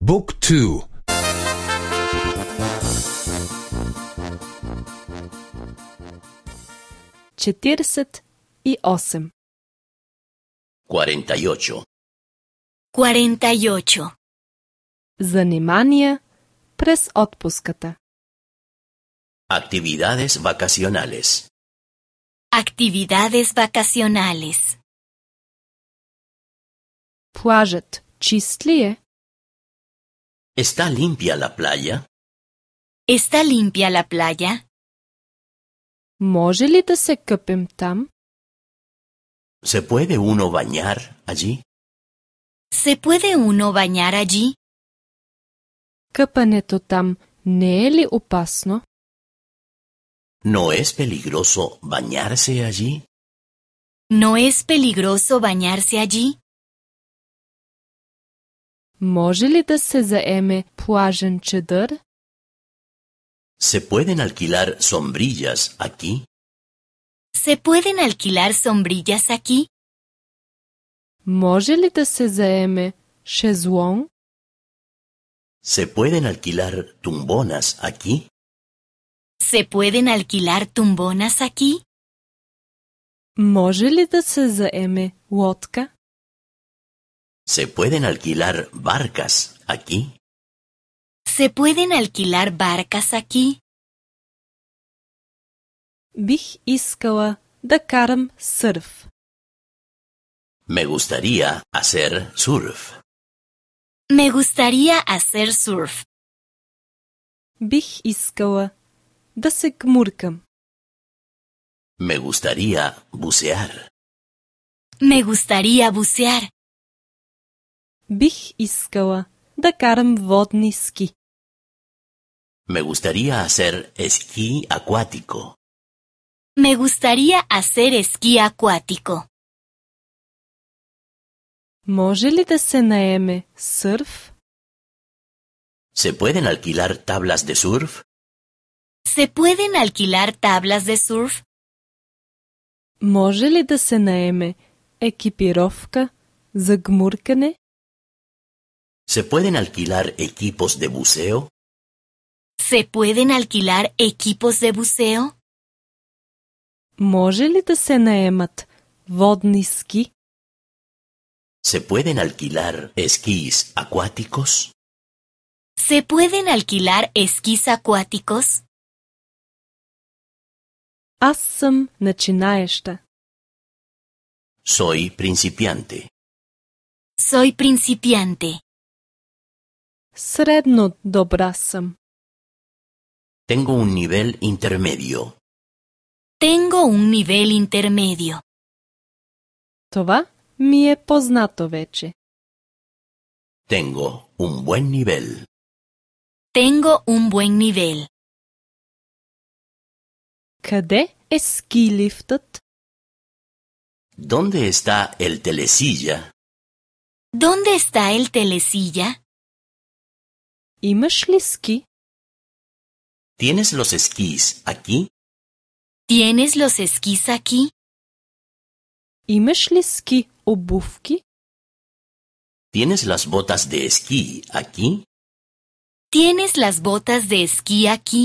بوك تو. 48. 48. 48. Занимания през отпуската. Actividades vacacionales. Actividades vacacionales. Плажът чист ли е? ¿Está limpia la playa? ¿Está limpia la playa? Може ли да се къпем там? ¿Se puede uno bañar allí? ¿Se puede uno bañar allí? Къпането там не е ли опасно? ¿No es peligroso bañarse allí? ¿No es peligroso bañarse allí? Може ли да се заеме плажен чадър? ¿Se pueden alquilar sombrillas aquí? ¿Se pueden alquilar sombrillas aquí? Може ли да се заеме шезлонг? ¿Se pueden alquilar tumbonas aquí? ¿Se pueden alquilar tumbonas aquí? Може ли да се заеме лодка? ¿Se pueden alquilar barcas aquí? ¿Se pueden alquilar barcas aquí? Бих искала да карам сърф. Me gustaría hacer surf. Me gustaría hacer surf. Бих искала да се гмуркам. Me gustaría bucear. Me gustaría bucear. Бих искала да карам водни ски. Me gustaría hacer esquí acuático. Me gustaría hacer esquí acuático. Може ли да се наеме сърф? ¿Se pueden alquilar tablas de surf? ¿Se pueden alquilar tablas de surf? Може ли да се наеме екипировка за гмуркане? ¿Se pueden alquilar equipos de buceo? ¿Se pueden alquilar equipos de buceo? Може ли да се наемат водни ски? ¿Se pueden alquilar esquís acuáticos? ¿Se pueden alquilar esquís acuáticos? Аз съм начинаеща. Soy principiante. Soy principiante. Средно добра съм. Tengo un nivel intermedio. Tengo un nivel intermedio. Това ми е познато вече. Tengo un buen nivel. Tengo un buen nivel. Къде е ски лифтът? ¿Dónde está el telesilla? ¿Dónde está el telesilla? Имаш ли ски? ¿Tienes los esquís aquí? ¿Tienes los esquís aquí? Имаш ли ски обувки? ¿Tienes las botas de esquí aquí? ¿Tienes las botas de esquí aquí?